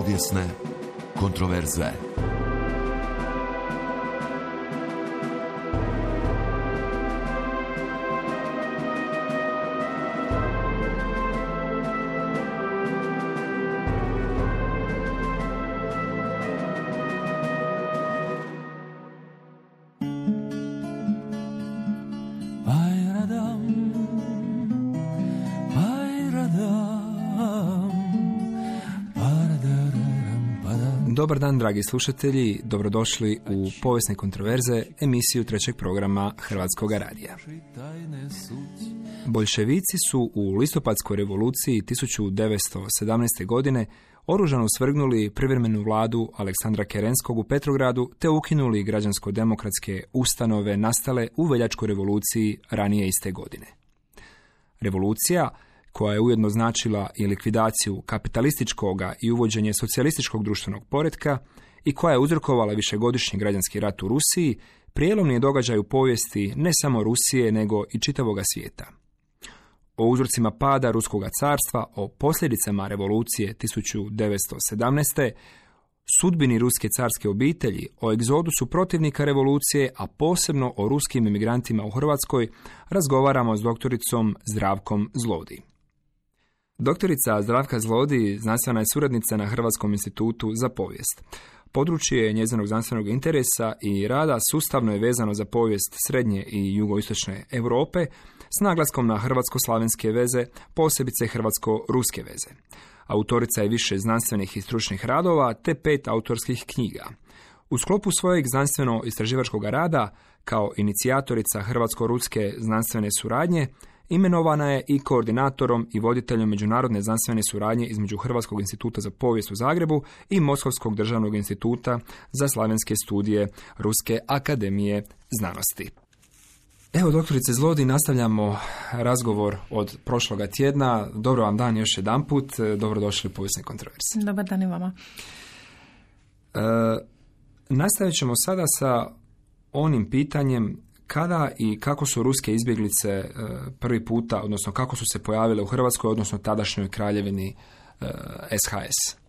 Povijesne kontroverze. Dobar dan, dragi slušatelji, dobrodošli u Povijesne kontroverze, emisiju trećeg programa Hrvatskog radija. Boljševici su u listopadskoj revoluciji 1917. godine oružano svrgnuli privremenu vladu Aleksandra Kerenskog u Petrogradu te ukinuli građansko-demokratske ustanove nastale u veljačkoj revoluciji ranije iste godine. Revolucija, koja je ujedno značila i likvidaciju kapitalističkoga i uvođenje socijalističkog društvenog poretka i koja je uzrokovala višegodišnji građanski rat u Rusiji, prijelomni je događaj u povijesti ne samo Rusije, nego i čitavoga svijeta. O uzrocima pada Ruskoga carstva, o posljedicama revolucije 1917. sudbini ruske carske obitelji, o egzodusu protivnika revolucije, a posebno o ruskim emigrantima u Hrvatskoj, razgovaramo s doktoricom Zdravkom Zlodi. Doktorica Zdravka Zlodi znanstvena je suradnica na Hrvatskom institutu za povijest. Područje njezinog znanstvenog interesa i rada sustavno je vezano za povijest srednje i jugoistočne Europe s naglaskom na hrvatsko-slavenske veze, posebice hrvatsko-ruske veze. Autorica je više znanstvenih i stručnih radova te 5 autorskih knjiga. U sklopu svojeg znanstveno-istraživačkog rada, kao inicijatorica hrvatsko-ruske znanstvene suradnje, imenovana je i koordinatorom i voditeljem međunarodne znanstvene suradnje između Hrvatskog instituta za povijest u Zagrebu i Moskovskog državnog instituta za slavenske studije Ruske akademije znanosti. Evo, doktorice Zlodi, nastavljamo razgovor od prošloga tjedna. Dobro vam dan još jedanput. Dobrodošli u Povijesne kontroverze. Dobar dan i vama. Nastavit ćemo sada sa onim pitanjem kada i kako su ruske izbjeglice prvi puta, odnosno kako su se pojavile u Hrvatskoj, odnosno tadašnjoj kraljevini SHS?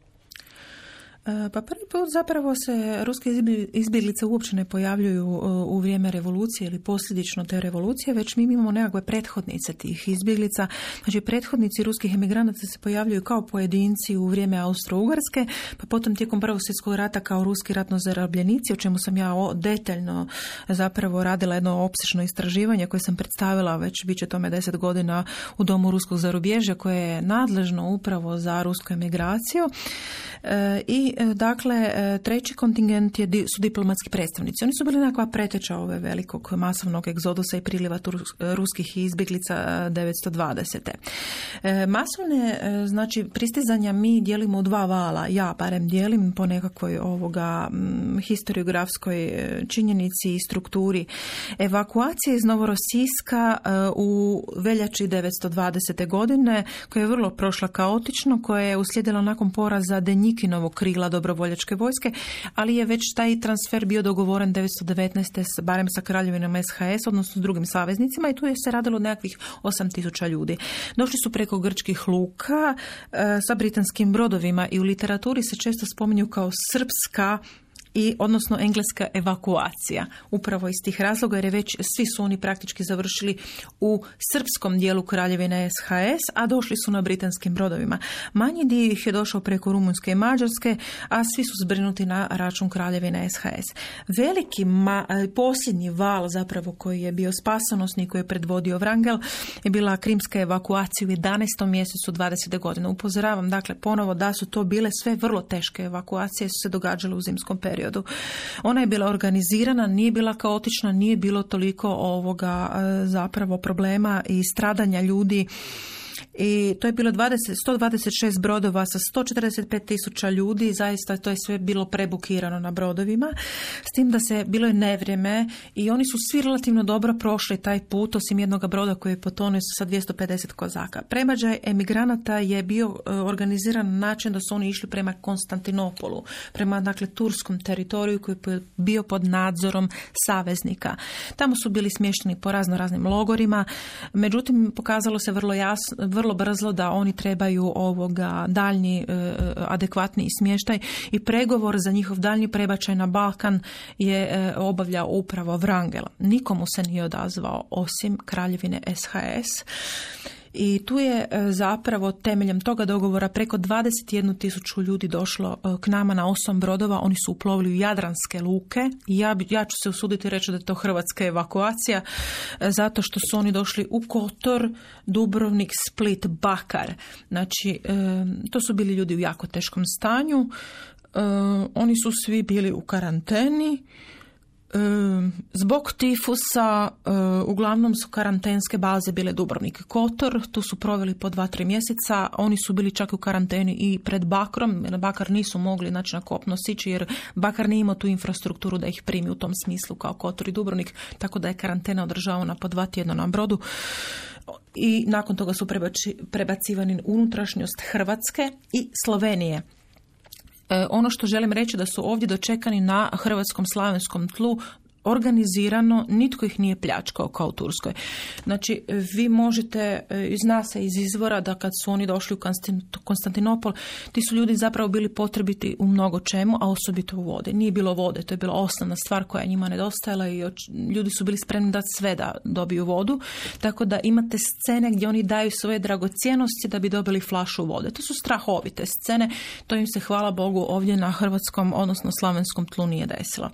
Pa prvi put zapravo se ruske izbjeglice uopće ne pojavljuju u vrijeme revolucije ili posljedično te revolucije, već mi imamo nekakve prethodnice tih izbjeglica. Znači, prethodnici ruskih emigranata se pojavljuju kao pojedinci u vrijeme Austro-Ugarske, pa potom tijekom Prvog svjetskog rata kao ruski ratno zarobljenici, o čemu sam ja detaljno zapravo radila jedno opsežno istraživanje koje sam predstavila već bit će tome 10 godina u Domu ruskog zarubježja koje je nadležno upravo za rusku emigraciju. I dakle, treći kontingent su diplomatski predstavnici. Oni su bili nekakva preteča ove velikog masovnog egzodusa i priliva ruskih izbjeglica 1920. Masovne, znači, pristizanja mi dijelimo u 2 vala. Ja barem dijelim po nekakvoj historiografskoj činjenici i strukturi. Evakuacije iz Novorosijska u veljači 1920. godine, koja je vrlo prošla kaotično, koja je uslijedila nakon poraza Denjikinovog krila dobrovoljačke vojske, ali je već taj transfer bio dogovoren 1919. barem sa kraljevinom SHS, odnosno s drugim saveznicima, i tu je se radilo nekakvih 8.000 ljudi. Došli su preko grčkih luka sa britanskim brodovima i u literaturi se često spominju kao srpska odnosno engleska evakuacija. Upravo iz tih razloga, jer je već svi su oni praktički završili u srpskom dijelu kraljevine SHS, a došli su na britanskim brodovima. Manji dio ih je došao preko Rumunjske i Mađarske, a svi su zbrinuti na račun kraljevine SHS. Veliki posljednji val zapravo koji je bio spasonosni, koji je predvodio Wrangel, je bila krimska evakuacija u 11. mjesecu 20. godine. Upozoravam dakle ponovo da su to bile sve vrlo teške evakuacije, su se događale u zimskom periodu. Ona je bila organizirana, nije bila kaotična, nije bilo toliko zapravo problema i stradanja ljudi. I to je bilo 126 brodova sa 145.000 ljudi, zaista to je sve bilo prebukirano na brodovima, s tim da se bilo je nevrijeme i oni su svi relativno dobro prošli taj put, osim jednog broda koji je potonuo sa 250 kozaka. Premađaj emigranata je bio organiziran na način da su oni išli prema Konstantinopolu, prema dakle turskom teritoriju koji je bio pod nadzorom saveznika. Tamo su bili smješteni po razno raznim logorima, međutim pokazalo se vrlo vrlo brzo da oni trebaju daljnji adekvatni smještaj i pregovor za njihov daljnji prebačaj na Balkan je obavljao upravo Wrangel. Nikomu se nije odazvao osim kraljevine SHS. I tu je zapravo temeljem toga dogovora preko 21.000 ljudi došlo k nama na 8 brodova. Oni su uplovili u jadranske luke i ja ću se usuditi reći da je to hrvatska evakuacija zato što su oni došli u Kotor, Dubrovnik, Split, Bakar. Znači, to su bili ljudi u jako teškom stanju. Oni su svi bili u karanteni. Zbog tifusa uglavnom su karantenske baze bile Dubrovnik i Kotor, tu su proveli po 2-3 mjeseca, oni su bili čak u karanteni i pred Bakrom, jer Bakar nisu mogli na kopno sići jer Bakar nije imao tu infrastrukturu da ih primi u tom smislu kao Kotor i Dubrovnik, tako da je karantena održavana po 2 tjedna na brodu. I nakon toga su prebacivani unutrašnjost Hrvatske i Slovenije. Ono što želim reći da su ovdje dočekani na hrvatskom slavenskom tlu organizirano, nitko ih nije pljačkao kao u Turskoj. Znači, vi možete, zna se iz izvora da kad su oni došli u Konstantinopol, ti su ljudi zapravo bili potrebiti u mnogo čemu, a osobito u vode. Nije bilo vode, to je bila osnovna stvar koja njima nedostajala i ljudi su bili spremni dati sve da dobiju vodu, tako da imate scene gdje oni daju svoje dragocjenosti da bi dobili flašu vode. To su strahovite scene, to im se, hvala Bogu, ovdje na hrvatskom, odnosno slavenskom tlu nije desilo.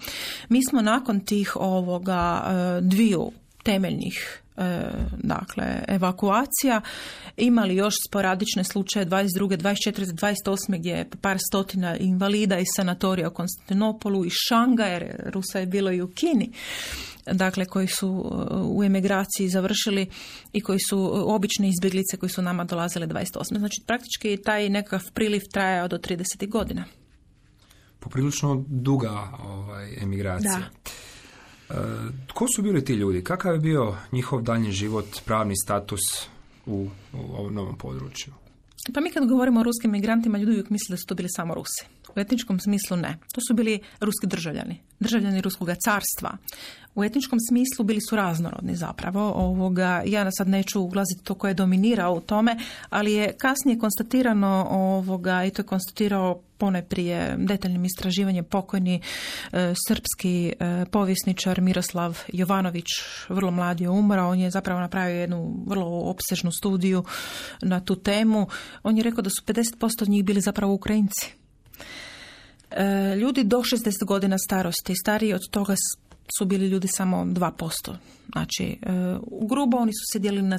Mi smo nakon tih dviju temeljnih evakuacija imali još sporadične slučaje 22., 24., 28. gdje je par stotina invalida iz sanatorija u Konstantinopolu i Šangaja, Rusa je bilo i u Kini, dakle koji su u emigraciji završili i koji su obične izbjeglice koji su nama dolazile 28. Znači praktički taj nekakav priliv trajao do 30 godina. Poprilično duga emigracija. Da. Tko su bili ti ljudi? Kakav je bio njihov daljnji život, pravni status u ovom novom području? Pa mi kad govorimo o ruskim migrantima, ljudi uvijek misle da su to bili samo Rusi. U etničkom smislu ne. To su bili ruski državljani Ruskoga carstva. U etničkom smislu bili su raznorodni zapravo. Ja sad neću ulaziti to ko je dominirao u tome, ali je kasnije konstatirano i to je konstatirao ponajprije detaljnim istraživanjem pokojni srpski povjesničar Miroslav Jovanović, vrlo mlad je umro, on je zapravo napravio jednu vrlo opsežnu studiju na tu temu. On je rekao da su 50% od njih bili zapravo Ukrajinci. Ljudi do 60 godina starosti, stariji od toga su bili ljudi samo 2%. Znači, grubo oni su se dijelili na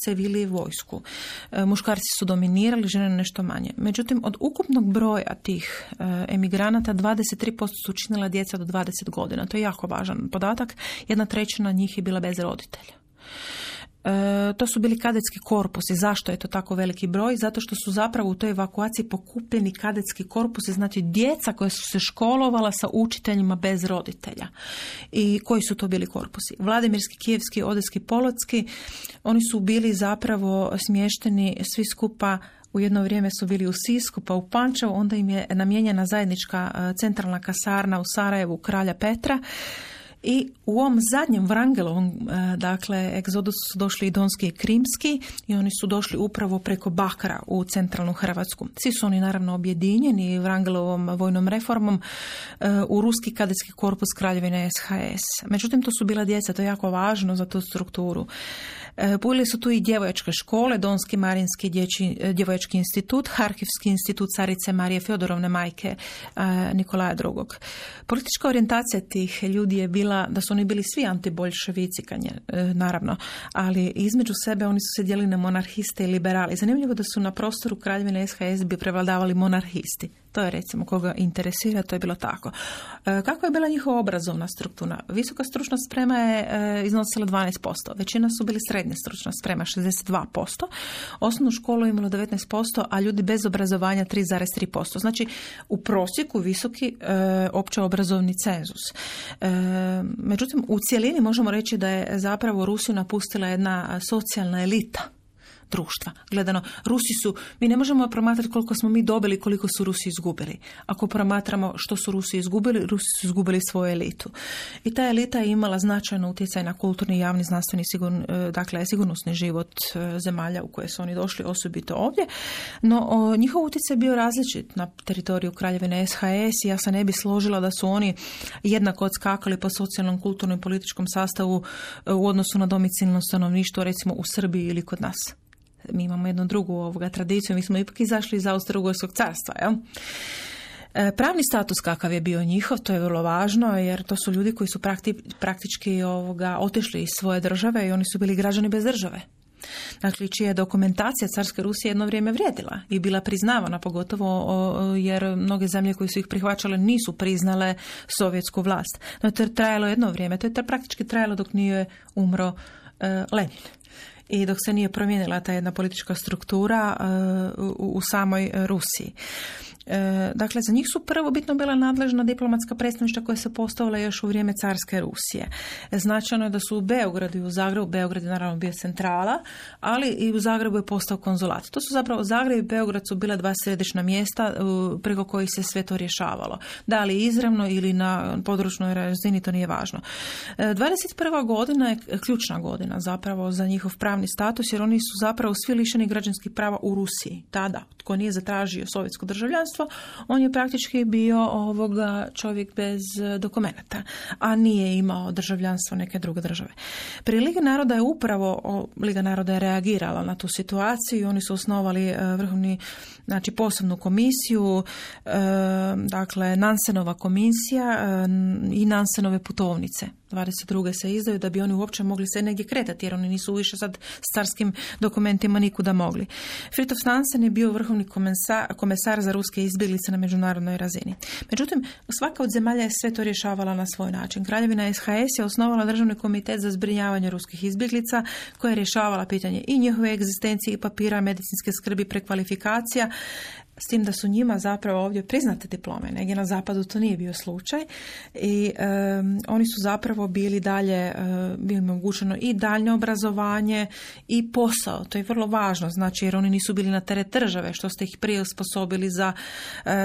civili i vojsku. Muškarci su dominirali, žene nešto manje. Međutim, od ukupnog broja tih emigranata 23% su činila djeca do 20 godina. To je jako važan podatak. 1/3 njih je bila bez roditelja. To su bili kadetski korpusi. Zašto je to tako veliki broj? Zato što su zapravo u toj evakuaciji pokupljeni kadetski korpusi, znači djeca koja su se školovala sa učiteljima bez roditelja. I koji su to bili korpusi? Vladimirski, Kijevski, Odeský, Polotski. Oni su bili zapravo smješteni svi skupa. U jedno vrijeme su bili u Sisku, pa u Pančevu, onda im je namijenjena zajednička centralna kasarna u Sarajevu kralja Petra. I u ovom zadnjem Wrangelovom, egzodusu su došli i Donski i Krimski i oni su došli upravo preko Bakra u centralnu Hrvatsku. Svi su oni naravno objedinjeni Wrangelovom vojnom reformom u ruski kadetski korpus kraljevine SHS. Međutim, to su bila djeca, to je jako važno za tu strukturu. Bili su tu i djevojačke škole, Donski Marinski djevojački institut, Harkivski institut carice Marije Fjodorovne, majke Nikolaja II. Politička orijentacija tih ljudi je bila da su oni bili svi antiboljševici, naravno, ali između sebe oni su se dijelili na monarhiste i liberali. Zanimljivo da su na prostoru kraljevine SHS bi prevladavali monarhisti. To je recimo koga interesira, to je bilo tako. Kako je bila njihova obrazovna struktura? Visoka stručna sprema je iznosila 12%. Većina su bili srednja stručna sprema, 62%. Osnovnu školu je imalo 19%, a ljudi bez obrazovanja 3,3%. Znači, u prosjeku visoki opće obrazovni cenzus. Međutim, u cjelini možemo reći da je zapravo Rusiju napustila jedna socijalna elita. društva. Gledano, mi ne možemo promatrati koliko smo mi dobili, koliko su Rusi izgubili. Ako promatramo što su Rusi su izgubili svoju elitu. I ta elita je imala značajno utjecaj na kulturni, javni, znanstveni, sigurnosni život zemalja u koje su oni došli, osobito ovdje. No, njihov utjecaj je bio različit na teritoriju Kraljevine SHS i ja se ne bi složila da su oni jednako odskakali po socijalnom, kulturnom i političkom sastavu u odnosu na domicilno stanovništvo, recimo u Srbiji ili kod nas. Mi imamo jednu drugu tradiciju, mi smo ipak izašli iz Austro-Ugarskog carstva, jel? Pravni status kakav je bio njihov, to je vrlo važno, jer to su ljudi koji su praktički otišli iz svoje države i oni su bili građani bez države. Dakle, čija je dokumentacija carske Rusije jedno vrijeme vrijedila i bila priznavana, pogotovo jer mnoge zemlje koje su ih prihvaćale nisu priznale sovjetsku vlast. No, to je trajalo jedno vrijeme, to je praktički trajalo dok nije umro Lenin. I dok se nije promijenila ta jedna politička struktura u samoj Rusiji. Dakle, za njih su prvobitno bila nadležna diplomatska predstavništva koja se postavila još u vrijeme carske Rusije. Značajno je da su u Beogradu i u Zagrebu, Beograd je naravno bio centrala, ali i u Zagrebu je postao konzulat. To su zapravo Zagreb i Beograd su bila dva središnja mjesta preko kojih se sve to rješavalo. Da li izravno ili na područnoj razini, to nije važno. 21. godina je ključna godina zapravo za njihov pravni status, jer oni su zapravo svi lišeni građanskih prava u Rusiji. Tada, tko nije zatražio sovjetsko državljanstvo, on je praktički bio čovjek bez dokumenata, a nije imao državljanstvo neke druge države. Prije Lige naroda je Liga naroda je reagirala na tu situaciju i oni su osnovali posebnu komisiju, dakle Nansenova komisija i Nansenove putovnice. 22. se izdaju da bi oni uopće mogli se negdje kretati, jer oni nisu više sad s carskim dokumentima nikuda mogli. Fridtjof Nansen je bio vrhovni komesar za ruske izbjeglice na međunarodnoj razini. Međutim, svaka od zemalja je sve to rješavala na svoj način. Kraljevina SHS je osnovala državni komitet za zbrinjavanje ruskih izbjeglica koja je rješavala pitanje i njihove egzistencije i papira, medicinske skrbi, prekvalifikacija, s tim da su njima zapravo ovdje priznate diplome. Negdje na zapadu to nije bio slučaj i oni su zapravo bili omogućeno i daljnje obrazovanje i posao. To je vrlo važno, znači jer oni nisu bili na teret države, što ste ih prije osposobili za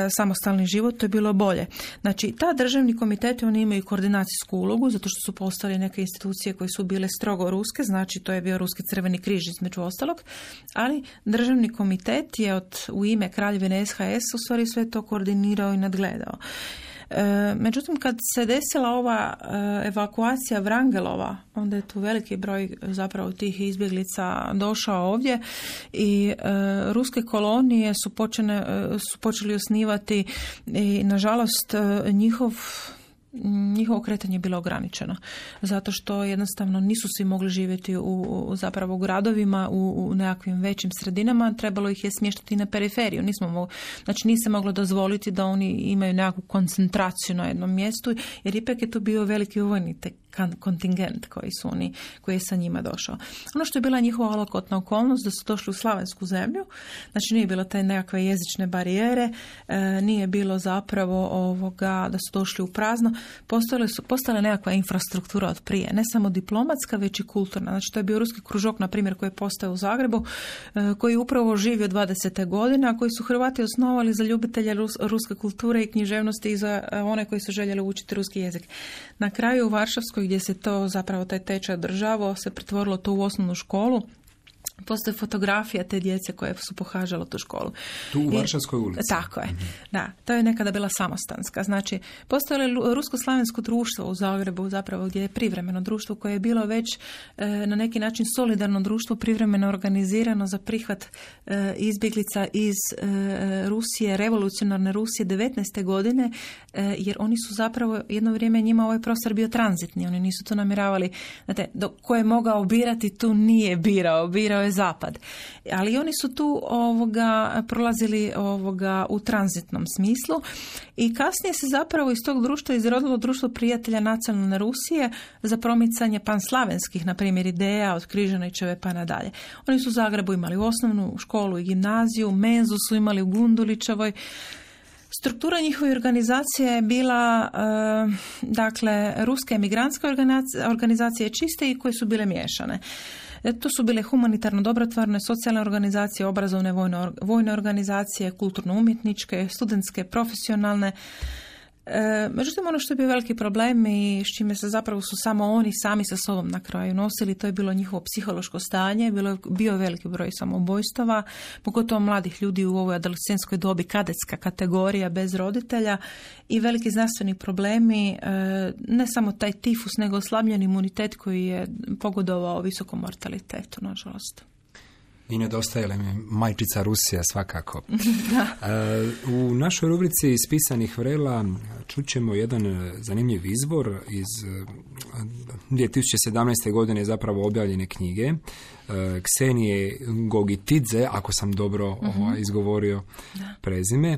samostalni život, to je bilo bolje. Znači, ta državni komiteti, oni imaju koordinacijsku ulogu, zato što su postali neke institucije koje su bile strogo ruske, znači to je bio Ruski crveni križ između ostalog, ali državni komitet je u ime Kraljevine SHS u stvari sve to koordinirao i nadgledao. Međutim, kad se desila ova evakuacija Vrangelova, onda je tu veliki broj zapravo tih izbjeglica došao ovdje i ruske kolonije su počeli osnivati i nažalost njihovo kretanje je bilo ograničeno, zato što jednostavno nisu svi mogli živjeti u gradovima, u nekakvim većim sredinama, trebalo ih je smještati na periferiju. Nije se moglo dozvoliti da oni imaju nekakvu koncentraciju na jednom mjestu, jer ipak je to bio veliki vojni kontingent koji je sa njima došao. Ono što je bila njihova olakotna okolnost, da su došli u slavensku zemlju, znači nije bilo te nekakve jezične barijere, nije bilo zapravo da su došli u prazno, postala nekakva infrastruktura od prije, ne samo diplomatska, već i kulturna. Znači to je bio ruski kružok, na primjer, koji je postao u Zagrebu, koji upravo živi od 20. godina, koji su Hrvati osnovali za ljubitelje ruske kulture i književnosti i za one koji su željeli učiti ruski jezik. Na kraju u Varšavskoj, gdje se to zapravo taj tečaj održavao, se pretvorilo to u osnovnu školu. Postoje fotografija te djece koje su pohađale tu školu. Tu u Varšavskoj ulici. Tako je. Da, to je nekada bila samostanska. Znači, postojalo rusko-slavensko društvo u Zagrebu, zapravo gdje je privremeno društvo koje je bilo već na neki način solidarno društvo, privremeno organizirano za prihvat izbjeglica iz Rusije, revolucionarne Rusije 19. godine, jer oni su zapravo jedno vrijeme njima ovaj prostor bio tranzitni. Oni nisu to namjeravali. Znate, ko je mogao birati, tu nije birao je zapad. Ali oni su tu prolazili u tranzitnom smislu i kasnije se zapravo iz tog društva izrodilo društvo prijatelja nacionalne Rusije za promicanje panslavenskih, na primjer, ideja od Križanićeve pa nadalje. Oni su u Zagrebu imali osnovnu školu i gimnaziju, menzu su imali u Gundulićevoj. Struktura njihove organizacije je bila, ruske emigrantske organizacije čiste i koje su bile miješane. To su bile humanitarno dobrotvorne, socijalne organizacije, obrazovne vojne organizacije, kulturno-umjetničke, studentske, profesionalne. Međutim, ono što je bio veliki problem i s čime se zapravo su samo oni sami sa sobom na kraju nosili, to je bilo njihovo psihološko stanje, bio veliki broj samoubojstava, pogotovo mladih ljudi u ovoj adolescentskoj dobi, kadetska kategorija bez roditelja i veliki zdravstveni problemi, ne samo taj tifus, nego oslabljen imunitet koji je pogodovao visokom mortalitetu, nažalost. I nedostajala mi majčica Rusija svakako. U našoj rubrici iz pisanih vrela čućemo jedan zanimljiv izbor iz 2017. godine zapravo objavljene knjige Ksenije Gogitidze, ako sam dobro izgovorio prezime,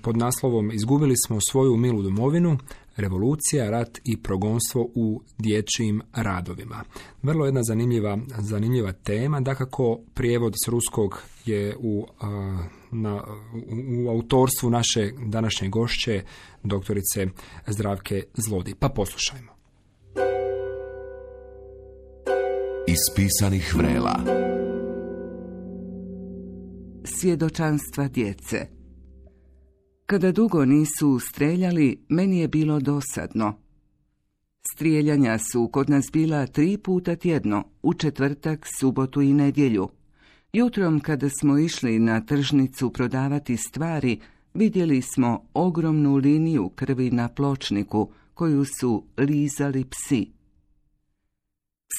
pod naslovom Izgubili smo svoju milu domovinu, revolucija, rat i progonstvo u dječjim radovima. Vrlo jedna zanimljiva tema, dakako prijevod s ruskog je u autorstvu naše današnje gošće, doktorice Zdravke Zlodi. Pa poslušajmo. Iz pisanih vrela. Svjedočanstva djece. Kada dugo nisu streljali, meni je bilo dosadno. Strijeljanja su kod nas bila 3 puta tjedno, u četvrtak, subotu i nedjelju. Jutrom kada smo išli na tržnicu prodavati stvari, vidjeli smo ogromnu liniju krvi na pločniku koju su lizali psi.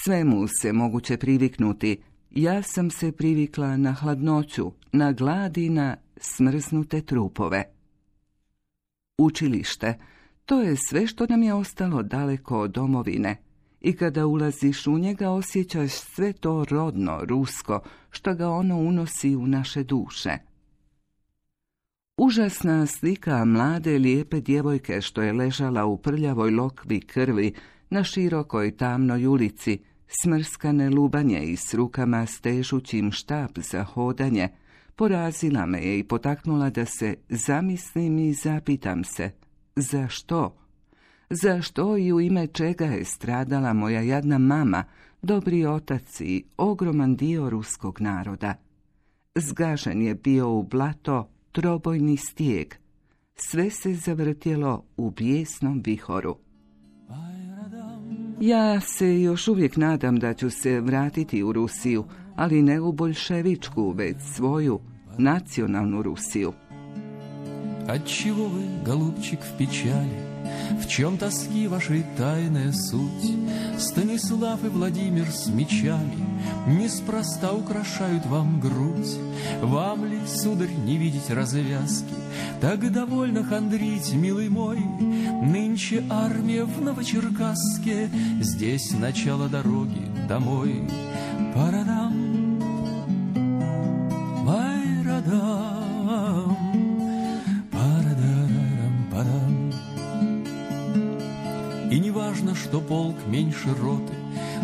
Svemu se moguće priviknuti. Ja sam se privikla na hladnoću, na glad i na smrznute trupove. Učilište, to je sve što nam je ostalo daleko od domovine. I kada ulaziš u njega osjećaš sve to rodno, rusko, što ga ono unosi u naše duše. Užasna slika mlade lijepe djevojke što je ležala u prljavoj lokvi krvi na širokoj tamnoj ulici, smrskane lubanje i s rukama stežućim štap za hodanje, porazila me je i potaknula da se zamislim i zapitam se, zašto? Zašto i u ime čega je stradala moja jadna mama, dobri otac i ogroman dio ruskog naroda? Zgažen je bio u blato trobojni stijeg. Sve se zavrtjelo u bijesnom vihoru. Ja se još uvijek nadam da ću se vratiti u Rusiju, ali ne u boljševičku, već svoju nacionalnu Rusiju. Отчего вы, голубчик, в печали? В чем тоски вашей тайная суть? Станислав и Владимир с мечами неспроста украшают вам грудь. Вам ли, сударь, не видеть развязки? Так довольно хандрить, милый мой. Нынче армия в Новочеркасске, здесь начало дороги домой. Парадам, майрадам, парадарам, парам. И не важно, что полк меньше роты,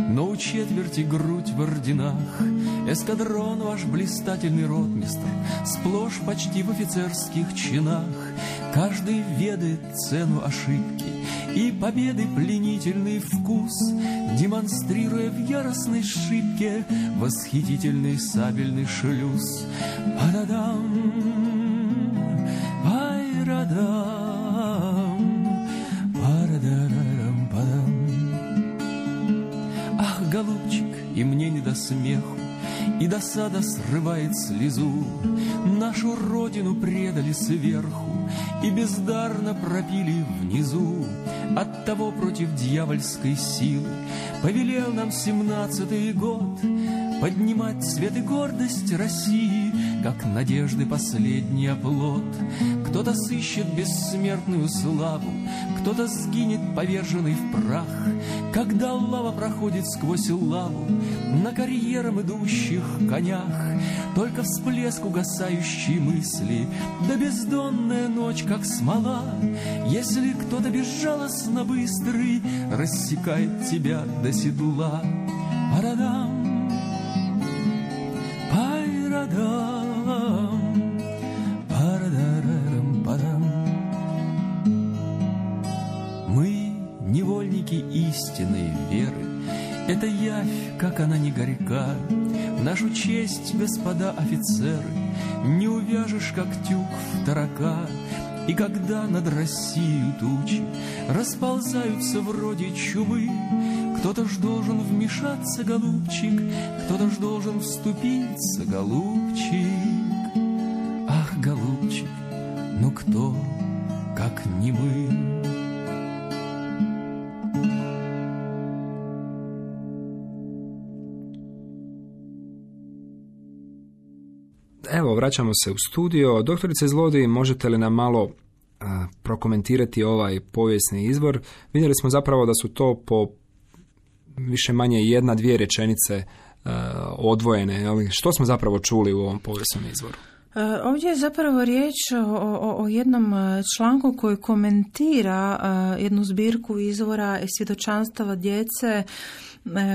но у четверти грудь в орденах. Эскадрон ваш блистательный ротмистр, сплошь почти в офицерских чинах. Каждый ведает цену ошибки и победы пленительный вкус, демонстрируя в яростной шибке восхитительный сабельный шлюз. Пададам, пайрадам, парадарам, падам. Ах, голубчик, и мне не до смеху, и досада срывает слезу. Нашу родину предали сверху и бездарно пропили внизу. Оттого против дьявольской силы повелел нам 17-й год поднимать цвет и гордость России, как надежды последний оплот. Кто-то сыщет бессмертную славу, кто-то сгинет поверженный в прах, когда лава проходит сквозь лаву на карьерам идущих конях. Только всплеск угасающей мысли, да бездонная ночь, как смола. Если кто-то безжалостно быстрый рассекает тебя до седла. Парадам, пайрадам, парадарам, парам. Мы невольники истинной веры Это явь, как она не горька, нашу честь, господа офицеры, не увяжешь, как тюк в тарака. И когда над Россией тучи расползаются вроде чумы, кто-то ж должен вмешаться, голубчик, кто-то ж должен вступиться, голубчик. Ах, голубчик, ну кто, как не мы? Evo, vraćamo se u studio. Doktorice Zlodij, možete li nam malo prokomentirati ovaj povijesni izvor? Vidjeli smo zapravo da su to po više manje jedna, dvije rečenice odvojene. Što smo zapravo čuli u ovom povijesnom izvoru? Ovdje je zapravo riječ o jednom članku koji komentira jednu zbirku izvora i svjedočanstava djece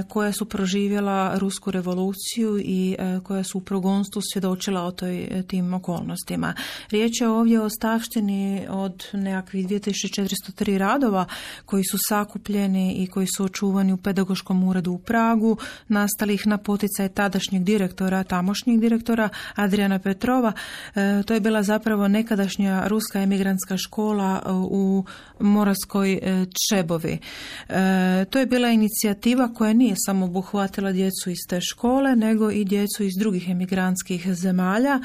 koja su proživjela Rusku revoluciju i koja su u progonstvu svjedočila o tim okolnostima. Riječ je ovdje o ostavštini od nekakvih 2403 radova koji su sakupljeni i koji su očuvani u pedagoškom uredu u Pragu, nastalih na poticaj tadašnjeg tamošnjeg direktora Adriana Petrova. To je bila zapravo nekadašnja ruska emigrantska škola u Moravskoj Čebovi. To je bila inicijativa koja nije samo obuhvatila djecu iz te škole, nego i djecu iz drugih emigrantskih zemalja,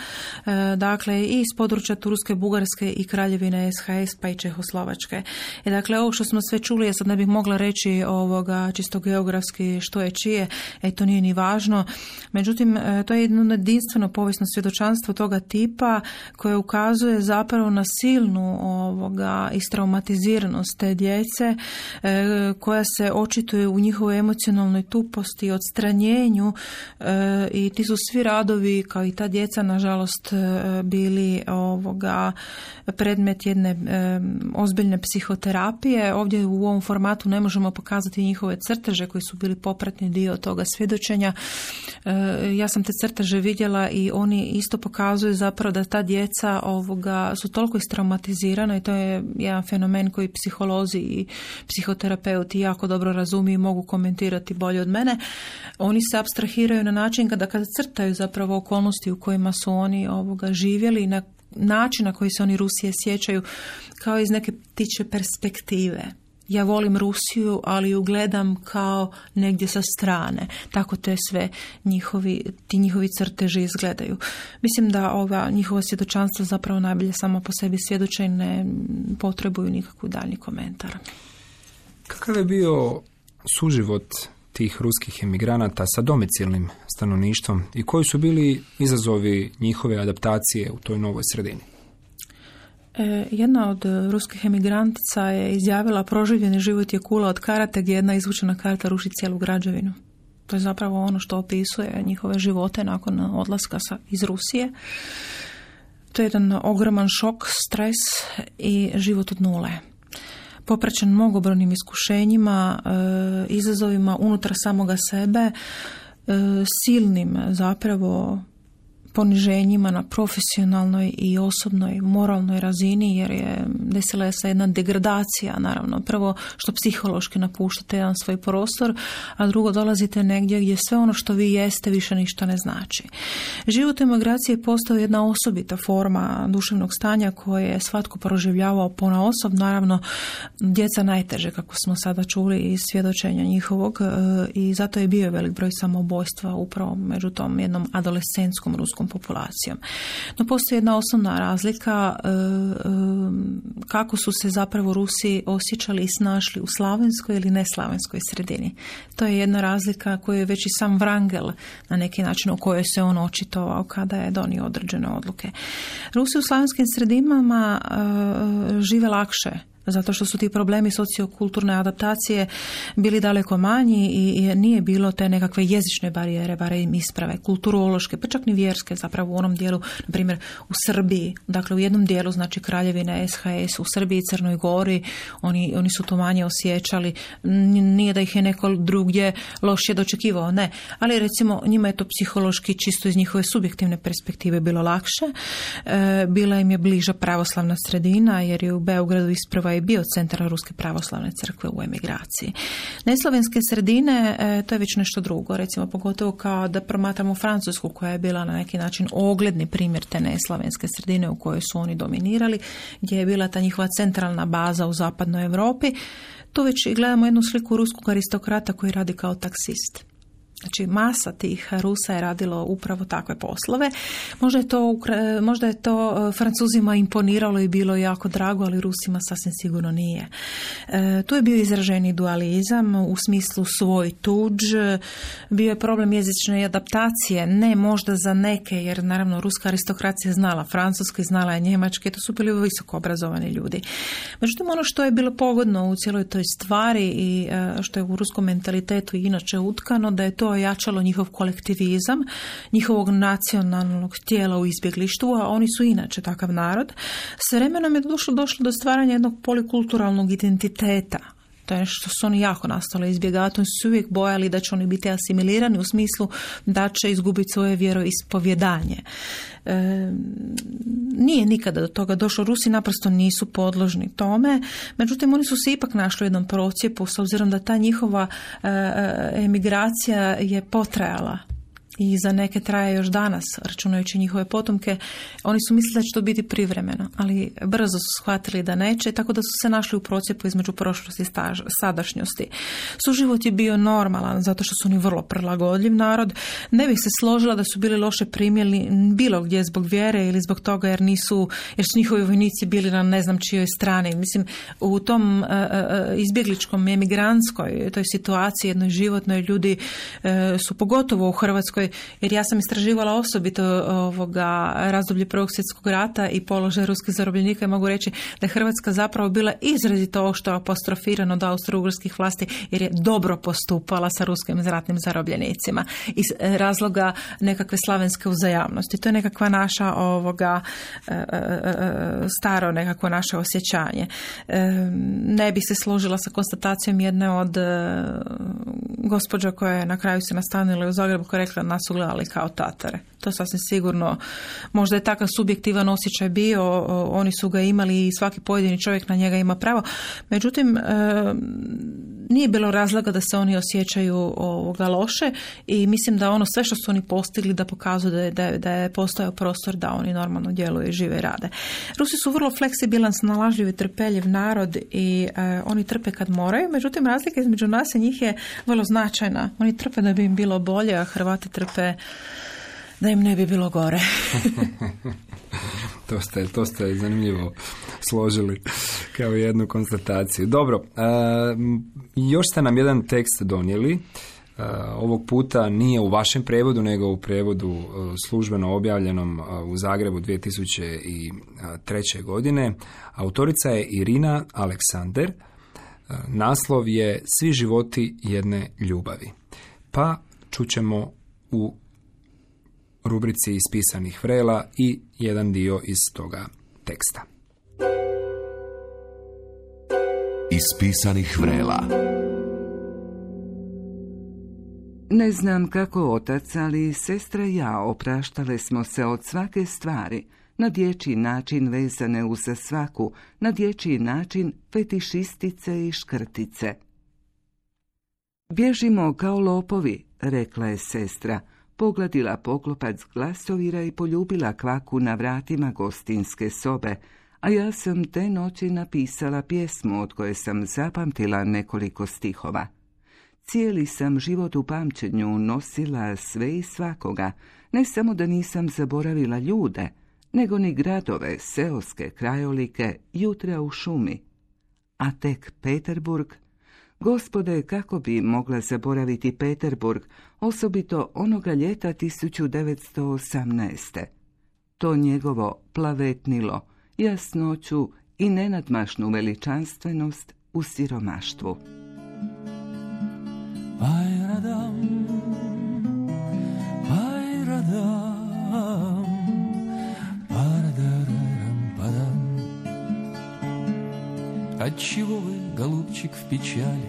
dakle i iz područja Turske, Bugarske i Kraljevine SHS pa i Čehoslovačke. I dakle, ovo što smo sve čuli, ja sad ne bih mogla reći čisto geografski što je čije, to nije ni važno. Međutim, to je jedno jedinstveno povijesno svjedočanstvo toga tipa koje ukazuje zapravo na silnu istraumatiziranost te djece koja se očituje u njihovoj emocionalnoj tuposti, odstranjenju i ti su svi radovi kao i ta djeca nažalost bili predmet jedne ozbiljne psihoterapije. Ovdje u ovom formatu ne možemo pokazati njihove crteže koji su bili popratni dio toga svjedočenja. Ja sam te crteže vidjela i oni isto pokazuju zapravo da ta djeca su toliko istraumatizirana i to je jedan fenomen koji psiholozi i psihoterapeuti jako dobro razumiju i mogu komentirati bolje od mene. Oni se apstrahiraju na način kada crtaju zapravo okolnosti u kojima su oni živjeli i na način na koji se oni Rusije sjećaju kao iz neke ptičje perspektive. Ja volim Rusiju, ali ju gledam kao negdje sa strane. Tako te sve ti njihovi crteži izgledaju. Mislim da ova njihova svjedočanstva zapravo najbolje samo po sebi svjedoče i ne potrebuju nikakvu daljnji komentar. Kakav je bio suživot tih ruskih emigranata sa domicilnim stanovništvom i koji su bili izazovi njihove adaptacije u toj novoj sredini? Jedna od ruskih emigrantica je izjavila: proživljeni život je kula od karata gdje jedna izvučena karta ruši cijelu građevinu. To je zapravo ono što opisuje njihove živote nakon odlaska iz Rusije. To je jedan ogroman šok, stres i život od nule. Popraćen mnogobrojnim iskušenjima, izazovima unutar samoga sebe, silnim zapravo poniženjima na profesionalnoj i osobnoj moralnoj razini, jer je desila se jedna degradacija, naravno. Prvo što psihološki napuštate jedan svoj prostor, a drugo dolazite negdje gdje sve ono što vi jeste više ništa ne znači. Život u emigraciji je postao jedna osobita forma duševnog stanja koje je svatko proživljavao ponaosob, naravno djeca najteže, kako smo sada čuli iz svjedočenja njihovog, i zato je bio velik broj samoubojstva upravo među tom jednom adolescentskom ruskom populacijom. No postoji jedna osnovna razlika kako su se zapravo Rusi osjećali i snašli u slavenskoj ili neslavenskoj sredini. To je jedna razlika koju je već i sam Wrangel na neki način u kojoj se on očitovao kada je donio određene odluke. Rusi u slavenskim sredinama žive lakše, zato što su ti problemi sociokulturne adaptacije bili daleko manji i nije bilo te nekakve jezične barijere, barem isprave, kulturološke, pa čak ni vjerske, zapravo u onom dijelu, na primjer u Srbiji, dakle u jednom dijelu, znači Kraljevine SHS, u Srbiji i Crnoj Gori, oni su to manje osjećali, nije da ih je neko drugdje lošije dočekivao, ne, ali recimo njima je to psihološki čisto iz njihove subjektivne perspektive bilo lakše, bila im je bliža pravoslavna sredina, jer je u Beogradu isprava je bio centar Ruske pravoslavne crkve u emigraciji. Neslavenske sredine, to je već nešto drugo, recimo pogotovo kao da promatramo Francusku koja je bila na neki način ogledni primjer te neslavenske sredine u kojoj su oni dominirali, gdje je bila ta njihova centralna baza u zapadnoj Europi. Tu već gledamo jednu sliku ruskog aristokrata koji radi kao taksist. Znači, masa tih Rusa je radilo upravo takve poslove. Možda je to Francuzima imponiralo i bilo jako drago, ali Rusima sasvim sigurno nije. Tu je bio izraženi dualizam u smislu svoj tuđ. Bio je problem jezične adaptacije, ne možda za neke, jer naravno ruska aristokracija znala francuski, znala je njemački, to su bili visoko obrazovani ljudi. Međutim, ono što je bilo pogodno u cijeloj toj stvari i što je u ruskom mentalitetu inače utkano, da je to ojačalo njihov kolektivizam, njihovog nacionalnog tijela u izbjeglištvu, a oni su inače takav narod. S vremenom je došlo do stvaranja jednog polikulturalnog identiteta. To je nešto što su oni jako nastali izbjegavati. Oni su se uvijek bojali da će oni biti asimilirani u smislu da će izgubiti svoje vjeroispovjedanje. Nije nikada do toga došlo. Rusi naprosto nisu podložni tome. Međutim, oni su se ipak našli u jednom procjepu s obzirom da ta njihova emigracija je potrajala. I za neke traje još danas, računajući njihove potomke. Oni su mislili da će to biti privremeno, ali brzo su shvatili da neće, tako da su se našli u procjepu između prošlosti i sadašnjosti. Suživot je bio normalan, zato što su oni vrlo prilagodljiv narod. Ne bih se složila da su bili loše primljeni bilo gdje zbog vjere ili zbog toga jer su njihovi vojnici bili na ne znam čijoj strani. Mislim, u tom izbjegličkom emigrantskoj toj situaciji, jednoj životnoj, ljudi su pogotovo u Hrvatskoj, jer ja sam istraživala osobito razdoblje Prvog svjetskog rata i položaj ruskih zarobljenika i mogu reći da je Hrvatska zapravo bila izrazito ovo što je apostrofirano od austro-ugarskih vlasti, jer je dobro postupala sa ruskim ratnim zarobljenicima iz razloga nekakve slavenske uzajamnosti. To je nekakva naša staro nekakvo naše osjećanje. Ne bi se složila sa konstatacijom jedne od gospođa koja je na kraju se nastanila u Zagrebu, koja je rekla nas su gledali kao Tatare. To sasvim sigurno, možda je takav subjektivan osjećaj bio, oni su ga imali i svaki pojedini čovjek na njega ima pravo. Međutim, nije bilo razloga da se oni osjećaju loše i mislim da ono sve što su oni postigli da pokazuje da je postojao prostor da oni normalno djeluju, žive i rade. Rusi su vrlo fleksibilan, snalažljiv i trpeljiv narod i oni trpe kad moraju, međutim razlika između nas i njih je vrlo značajna. Oni trpe da bi im bilo bolje, a Hrvati trpe da im ne bi bilo gore. To ste zanimljivo složili kao jednu konstataciju. Dobro, još ste nam jedan tekst donijeli. Ovog puta nije u vašem prevodu, nego u prevodu službeno objavljenom u Zagrebu 2003. godine. Autorica je Irina Aleksander. Naslov je Svi životi jedne ljubavi. Pa čućemo u rubrici ispisanih vrela i jedan dio iz toga teksta. Ispisanih vrela. Ne znam kako otac, ali sestra i ja opraštale smo se od svake stvari, na dječji način vezane uz svaku, na dječji način fetišistice i škrtice. Bježimo kao lopovi, rekla je sestra, pogladila poklopac glasovira i poljubila kvaku na vratima gostinske sobe, a ja sam te noći napisala pjesmu od koje sam zapamtila nekoliko stihova. Cijeli sam život u pamćenju nosila sve i svakoga, ne samo da nisam zaboravila ljude, nego ni gradove, seoske krajolike, jutra u šumi. A tek Peterburg, gospode, kako bi mogla zaboraviti Peterburg, osobito onoga ljeta 1918. To njegovo plavetnilo, jasnoću i nenadmašnu veličanstvenost u siromaštvu. Pajradam, pajradam, paradararam, padam. Отчего вы, голубчик, в печали,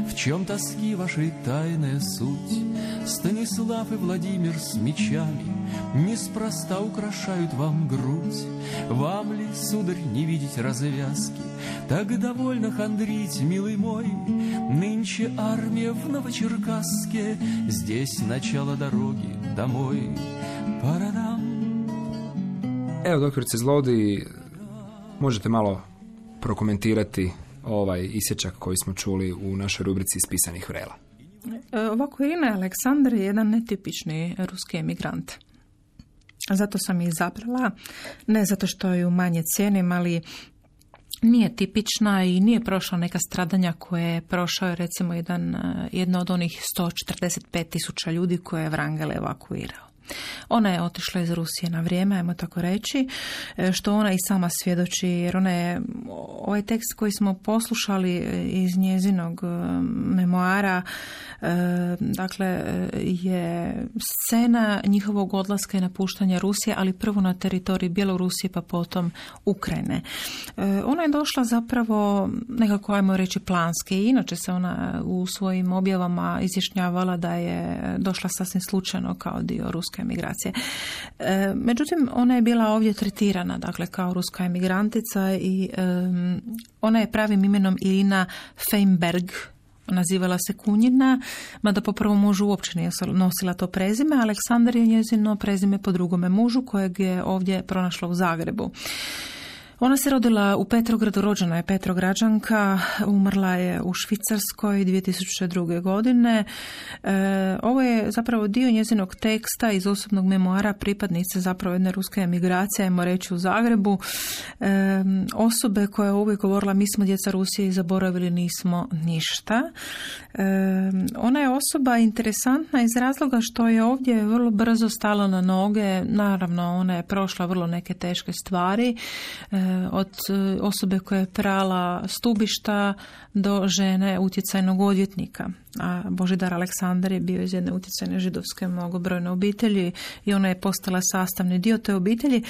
в В чем тоски вашей тайная суть? Станислав и Владимир с мечами неспроста украшают вам грудь. Вам ли, сударь, не видеть развязки? Так довольно хандрить, милый мой. Нынче армия в Новочеркасске, здесь начало дороги домой. Парадам. Evo, doktorice Zlodi, možete malo prokomentirati ovaj isječak koji smo čuli u našoj rubrici Iz pisanih vrela. Ovako, Irina Aleksandar je jedan netipični ruski emigrant. Zato sam je izabrala, ne zato što ju manje cijenim, ali nije tipična i nije prošla neka stradanja koje je prošao, recimo, jedno od onih 145.000 ljudi koje je Wrangel evakuirao. Ona je otišla iz Rusije na vrijeme, ajmo tako reći, što ona i sama svjedoči, jer ona je, ovaj tekst koji smo poslušali iz njezinog memoara, dakle, je scena njihovog odlaska i napuštanja Rusije, ali prvo na teritoriji Bjelorusije, pa potom Ukrajine. Ona je došla zapravo nekako, ajmo reći, planski. Inače se ona u svojim objavama izjašnjavala da je došla sasvim slučajno kao dio ruske emigracije. Međutim, ona je bila ovdje tretirana, dakle, kao ruska emigrantica i ona je pravim imenom Irina Feinberg, nazivala se Kunjina, mada po prvom mužu uopće nije nosila to prezime. Aleksandar je njezino prezime po drugome mužu kojeg je ovdje pronašla u Zagrebu. Ona se rodila u Petrogradu, rođena je Petrograđanka, umrla je u Švicarskoj 2002. godine. Ovo je zapravo dio njezinog teksta iz osobnog memoara pripadnice zapravo jedne ruske emigracije, ajmo reći, u Zagrebu. Osobe koja je uvijek govorila mi smo djeca Rusije i zaboravili nismo ništa. Ona je osoba interesantna iz razloga što je ovdje vrlo brzo stala na noge. Naravno, ona je prošla vrlo neke teške stvari, od osobe koja je prala stubišta do žene utjecajnog odvjetnika. A Božidar Aleksandar je bio iz jedne utjecajne židovske mnogobrojne obitelji i ona je postala sastavni dio te obitelji.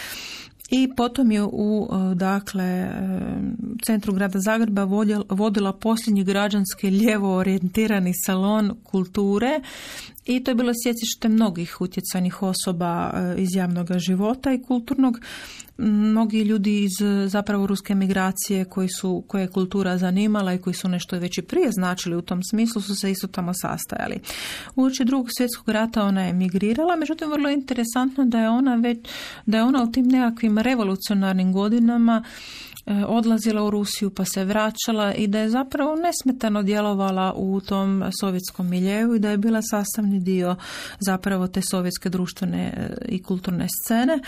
I potom je u, dakle, centru grada Zagreba vodila posljednji građanski lijevo orijentirani salon kulture i to je bilo sjecište mnogih utjecajnih osoba iz javnog života i kulturnog. Mnogi ljudi iz zapravo ruske emigracije koje je kultura zanimala i koji su nešto već i prije značili u tom smislu su se isto tamo sastajali. Uoči Drugog svjetskog rata ona je emigrirala, međutim vrlo je interesantno da je ona u tim nekakvim revolucionarnim godinama odlazila u Rusiju pa se vraćala i da je zapravo nesmetano djelovala u tom sovjetskom miljeu i da je bila sastavni dio zapravo te sovjetske društvene i kulturne scene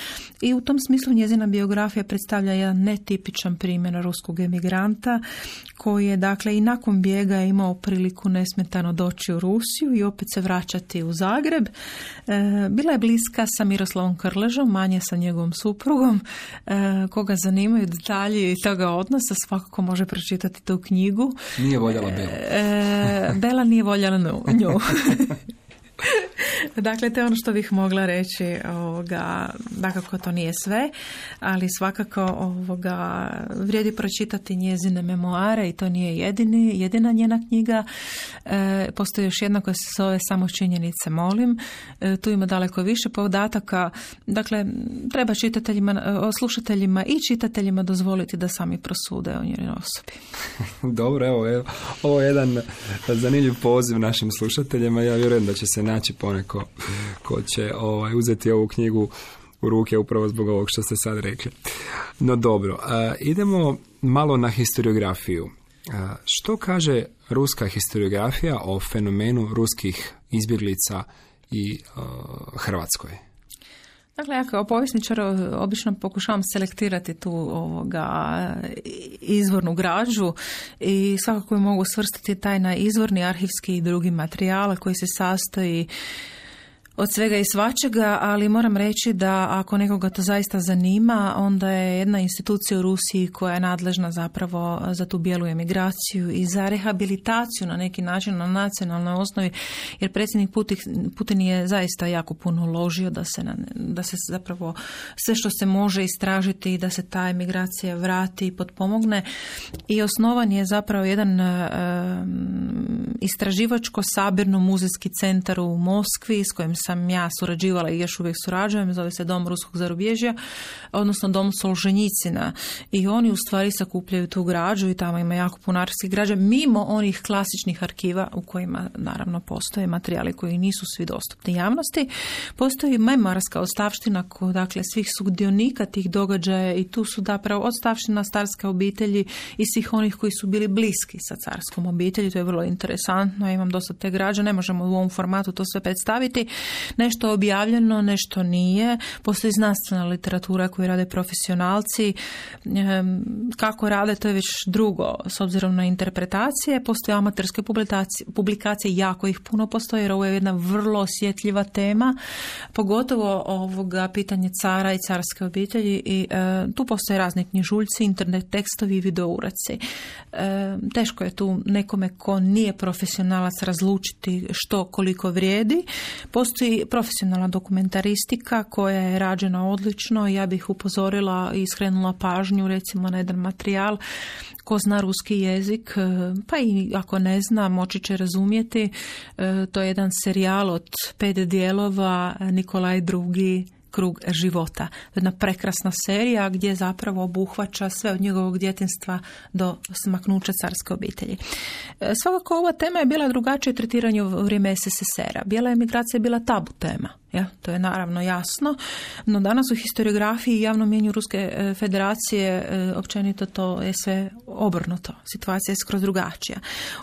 i u tom smislu njezina biografija predstavlja jedan netipičan primjer ruskog emigranta koji je, dakle, i nakon bijega imao priliku nesmetano doći u Rusiju i opet se vraćati u Zagreb. Bila je bliska sa Miroslavom Krležom, manje sa njegovom suprugom. Koga zanimaju detalji toga odnosa, svakako može pročitati tu knjigu. Nije voljela Belu. Bela nije voljela nju. Dakle, to je ono što bih mogla reći. Dakako to nije sve, ali svakako vrijedi pročitati njezine memoare i to nije jedina njena knjiga. Postoji još jedna koja se zove Samo činjenice molim. Tu ima daleko više podataka. Dakle, treba slušateljima i čitateljima dozvoliti da sami prosude o njenoj osobi. Dobro, evo, ovo je jedan zanimljiv poziv našim slušateljima. Ja vjerujem da će se naći poneko ko će uzeti ovu knjigu u ruke upravo zbog ovog što ste sad rekli. No dobro, idemo malo na historiografiju. Što kaže ruska historiografija o fenomenu ruskih izbjeglica i Hrvatskoj? Dakle, ja kao povjesničar obično pokušavam selektirati tu izvornu građu i svakako je mogu svrstati taj na izvorni arhivski i drugi materijal koji se sastoji od svega i svačega, ali moram reći da ako nekoga to zaista zanima, onda je jedna institucija u Rusiji koja je nadležna zapravo za tu bijelu emigraciju i za rehabilitaciju na neki način na nacionalnoj osnovi, jer predsjednik Putin je zaista jako puno uložio da se zapravo sve što se može istražiti i da se ta emigracija vrati i potpomogne. I osnovan je zapravo jedan istraživačko-sabirno-muzejski centar u Moskvi s kojim sam ja surađivala i još uvijek surađujem, zove se Dom ruskog zarubježja, odnosno Dom Solženjicina. I oni u stvari sakupljaju tu građu i tamo ima jako puno arhivskih građa, mimo onih klasičnih arhiva u kojima naravno postoje materijali koji nisu svi dostupni javnosti. Postoji memorska ostavština dakle svih sudionika tih događaja i tu su zapravo ostavština carske obitelji i svih onih koji su bili bliski sa carskom obitelji. To je vrlo interesantno. Ja imam dosta te građe, ne možemo u ovom formatu to sve predstaviti. Nešto je objavljeno, nešto nije. Postoji znanstvena literatura koju rade profesionalci. Kako rade, to je već drugo s obzirom na interpretacije. Postoje amaterske publikacije, jako ih puno postoje jer ovo je jedna vrlo osjetljiva tema, pogotovo ovoga pitanje cara i carske obitelji i tu postoje razni knjižuljci, internet tekstovi i videouraci. Teško je tu nekome ko nije profesionalac razlučiti što koliko vrijedi. Postoji profesionalna dokumentaristika koja je rađena odlično. Ja bih upozorila i skrenula pažnju recimo na jedan materijal. Ko zna ruski jezik, pa i ako ne zna, moći će razumjeti. To je jedan serijal od 5 dijelova, Nikolaj II. Krug života. Jedna prekrasna serija gdje zapravo obuhvaća sve od njegovog djetinjstva do smaknuća carske obitelji. Svakako ova tema je bila drugačije tretiranje u vrijeme SSSR-a. Bijela emigracija je bila tabu tema. Ja, to je naravno jasno, no danas u historiografiji i javnom mjenju Ruske federacije općenito to je sve obrnuto. Situacija je skroz drugačija.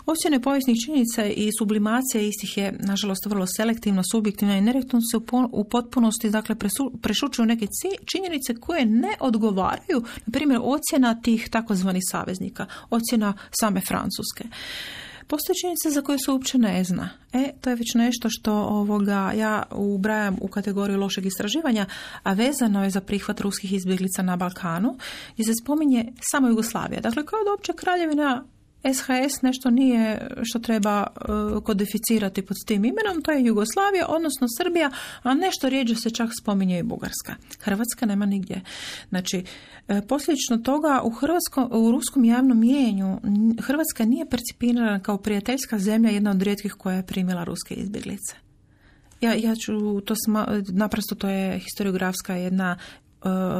Ocjene povijesnih činjenica i sublimacija istih je, nažalost, vrlo selektivno, subjektivna i nerijetko se u potpunosti dakle, prešućuju neke činjenice koje ne odgovaraju, na primjer, ocjena tih takozvanih saveznika, ocjena same Francuske. Postoje činjenice za koje se uopće ne zna. To je već nešto što ja ubrajam u kategoriju lošeg istraživanja, a vezano je za prihvat ruskih izbjeglica na Balkanu, gdje se spominje samo Jugoslavija. Dakle, kao da uopće kraljevina SHS nešto nije što treba kodificirati pod tim imenom, to je Jugoslavija, odnosno Srbija, a nešto rijeđe se čak spominje i Bugarska. Hrvatska nema nigdje. Znači, posljedično toga u ruskom javnom mijenju Hrvatska nije percipirana kao prijateljska zemlja, jedna od rijetkih koja je primila ruske izbjeglice. Ja ću to naprosto to je historiografska jedna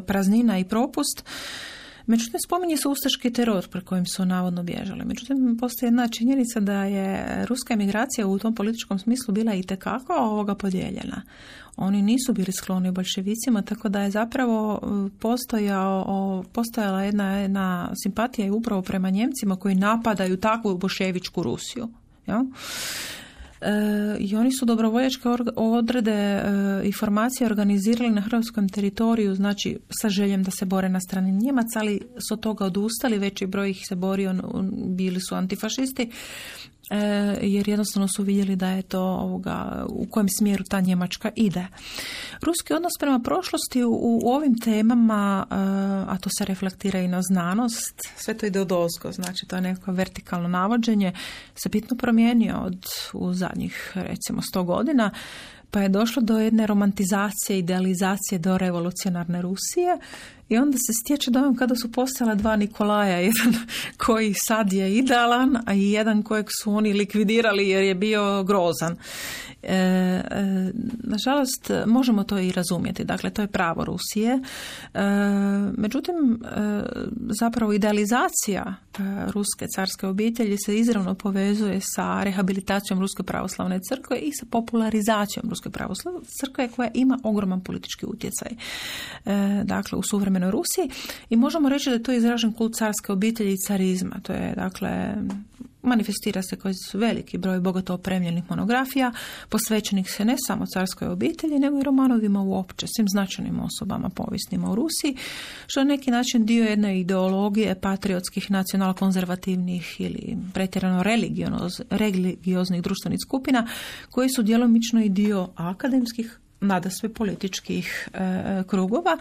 praznina i propust. Međutim, spominje se ustaški teror pre kojim su navodno bježali. Međutim, postoji jedna činjenica da je ruska emigracija u tom političkom smislu bila itekako podijeljena. Oni nisu bili skloni bolševicima, tako da je zapravo postojala jedna simpatija i upravo prema Njemcima koji napadaju takvu bolševičku Rusiju. Ja? I oni su dobrovoljačke odrede i formacije organizirali na hrvatskom teritoriju, znači sa željem da se bore na strani Njemaca, ali su od toga odustali, veći broj ih se borio, bili su antifašisti, jer jednostavno su vidjeli da je to u kojem smjeru ta Njemačka ide. Ruski odnos prema prošlosti u ovim temama, a to se reflektira i na znanost, sve to ide odozgo, znači to je neko vertikalno navođenje, se bitno promijenio u zadnjih recimo 100 godina, pa je došlo do jedne romantizacije, idealizacije do revolucionarne Rusije i onda se stječe dojam kada su postala dva Nikolaja, jedan koji sad je idealan, a i jedan kojeg su oni likvidirali jer je bio grozan. Nažalost, možemo to i razumjeti. Dakle, to je pravo Rusije. Međutim, zapravo idealizacija ruske carske obitelji se izravno povezuje sa rehabilitacijom Ruske pravoslavne crkve i sa popularizacijom Ruske pravoslavne crkve koja ima ogroman politički utjecaj. Dakle, u suvremenoj Rusiji i možemo reći da je to izražen kult carske obitelji i carizma. To je, dakle, manifestira se kroz veliki broj bogato opremljenih monografija, posvećenih se ne samo carskoj obitelji, nego i romanovima uopće, svim značajnim osobama povijesnima u Rusiji, što je neki način dio jedne ideologije patriotskih, nacionalno-konzervativnih ili pretjerano religioznih društvenih skupina, koji su djelomično i dio akademskih, nadasve političkih krugova.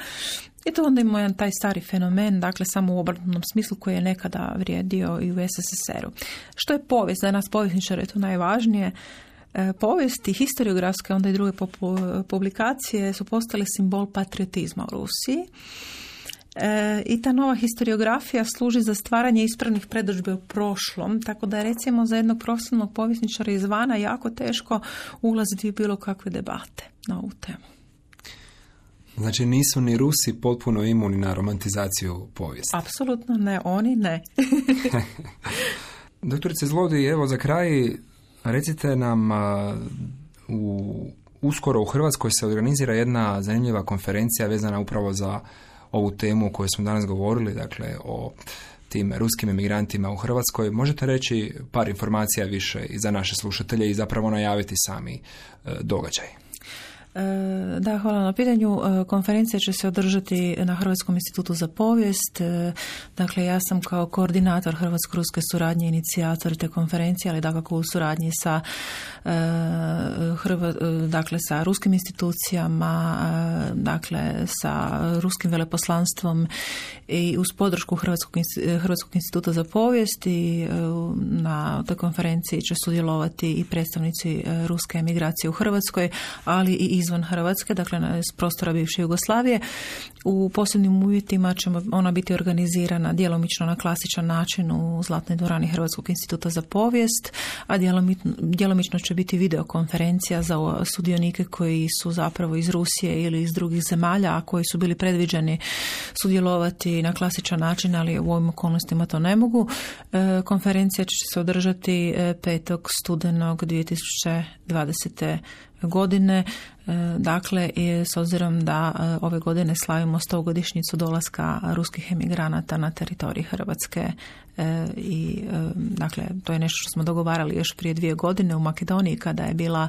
I to onda ima jedan taj stari fenomen, dakle samo u obrnutom smislu koji je nekada vrijedio i u SSSR-u. Što je povijest? Za nas povjesničare je to najvažnije. Povijest i historiografske, onda i druge publikacije su postale simbol patriotizma u Rusiji. I ta nova historiografija služi za stvaranje ispravnih predodžbe u prošlom, tako da je recimo za jednog profesionalnog povjesničara izvana jako teško ulaziti u bilo kakve debate na ovu temu. Znači nisu ni Rusi potpuno imuni na romantizaciju povijesti? Apsolutno ne, oni ne. Doktorice Zlodij, evo za kraj recite nam, uskoro u Hrvatskoj se organizira jedna zanimljiva konferencija vezana upravo za ovu temu o kojoj smo danas govorili, dakle o tim ruskim emigrantima u Hrvatskoj. Možete reći par informacija više i za naše slušatelje i zapravo najaviti sami događaj? Da, hvala na pitanju. Konferencija će se održati na Hrvatskom institutu za povijest. Dakle, ja sam kao koordinator hrvatsko-ruske suradnje inicijator te konferencije, ali dakako u suradnji sa sa ruskim institucijama, dakle sa ruskim veleposlanstvom i uz podršku Hrvatskog instituta za povijest. I na toj konferenciji će sudjelovati i predstavnici ruske emigracije u Hrvatskoj, ali i izvan Hrvatske, dakle s prostora bivše Jugoslavije. U posebnim uvjetima će ona biti organizirana djelomično na klasičan način u Zlatnoj dvorani Hrvatskog instituta za povijest, a djelomično će biti videokonferencija za sudionike koji su zapravo iz Rusije ili iz drugih zemalja, a koji su bili predviđeni sudjelovati na klasičan način, ali u ovim okolnostima to ne mogu. Konferencija će se održati 5. studenog 2020. godine. Dakle, s obzirom da ove godine slavimo 100-godišnjicu dolaska ruskih emigranata na teritorij Hrvatske i dakle, to je nešto što smo dogovarali još prije 2 godine u Makedoniji kada je bila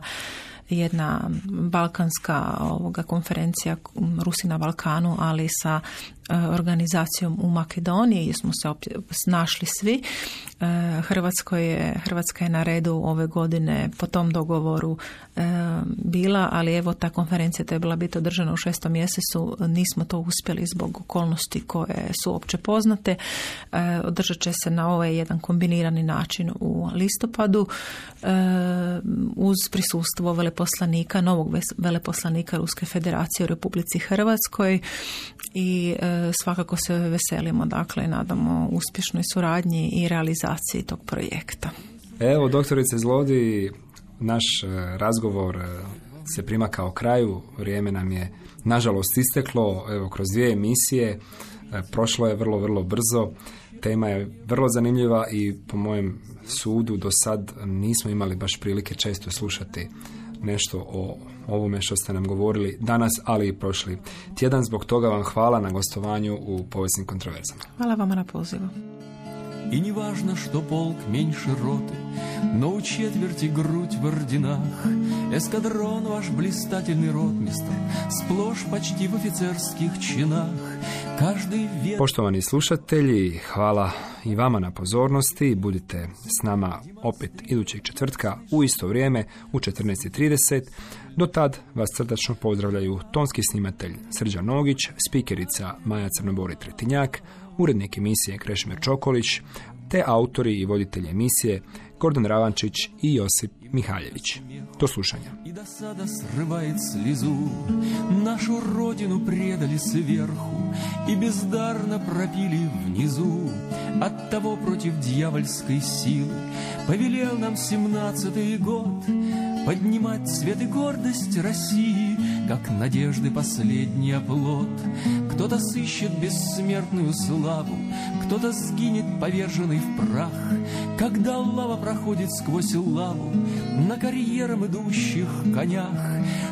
jedna balkanska konferencija Rusi na Balkanu, ali sa organizacijom u Makedoniji gdje smo se našli svi. Hrvatska je na redu ove godine po tom dogovoru bila, ali evo ta konferencija trebala biti održana u 6. mjesecu. Nismo to uspjeli zbog okolnosti koje su opće poznate. Održat će se na ovaj jedan kombinirani način u listopadu uz prisustvo veleposlanika, novog veleposlanika Ruske federacije u Republici Hrvatskoj i svakako se veselimo, dakle, nadamo uspješnoj suradnji i realizaciji tog projekta. Evo, doktorice Zlodij, naš razgovor se primakao kraju, vrijeme nam je nažalost isteklo, evo, kroz 2 emisije, prošlo je vrlo, vrlo brzo, tema je vrlo zanimljiva i po mojem sudu do sad nismo imali baš prilike često slušati nešto o ovome što ste nam govorili danas, ali i prošli tjedan. Zbog toga vam hvala na gostovanju u Povijesnim kontroverzama. Hvala vama na pozivu. И не важно, что полк меньше роты, но у четверти грудь в орденах. Эскадрон ваш блистательный ротмистр, сплошь почти в офицерских чинах. Poštovani slušatelji, hvala i vama na pozornosti. Budite s nama opet idućeg četvrtka u isto vrijeme u 14:30. Do tad vas srdačno pozdravljaju tonski snimatelj Srđan Nogić, spikerica Maja Crnobori-Tretinjak, urednik emisije Krešimir Čokolić, te autori i voditelji emisije Gordan Ravančić i Josip Mihaljević. Do slušanja. И до сада срывает слезу, нашу родину предали сверху и бездарно пропили внизу. Оттого против дьявольской силы повелел нам 17-й год поднимать цвет и гордость России, как надежды последний оплот. Кто-то сыщет бессмертную славу, кто-то сгинет поверженный в прах, когда лава проходит сквозь лаву на карьерам идущих конях.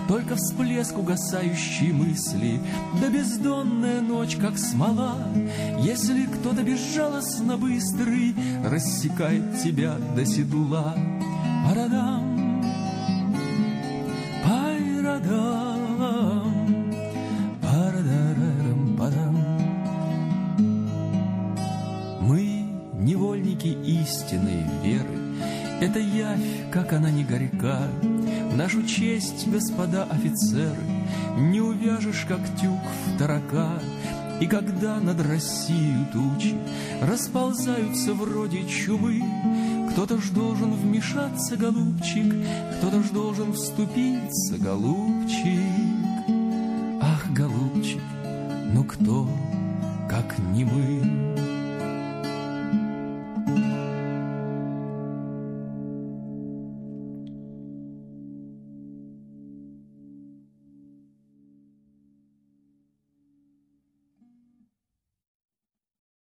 Только всплеск угасающей мысли, да бездонная ночь, как смола. Если кто-то безжалостно быстрый рассекает тебя до седла. Парадам, пайрадам, парадарам, падам. Мы невольники истинной веры. Это явь, как она не горька. В нашу честь, господа офицеры, не увяжешь, как тюк в тарака. И когда над Россией тучи расползаются вроде чумы, кто-то ж должен вмешаться, голубчик, кто-то ж должен вступиться, голубчик. Ах, голубчик, ну кто? как немым.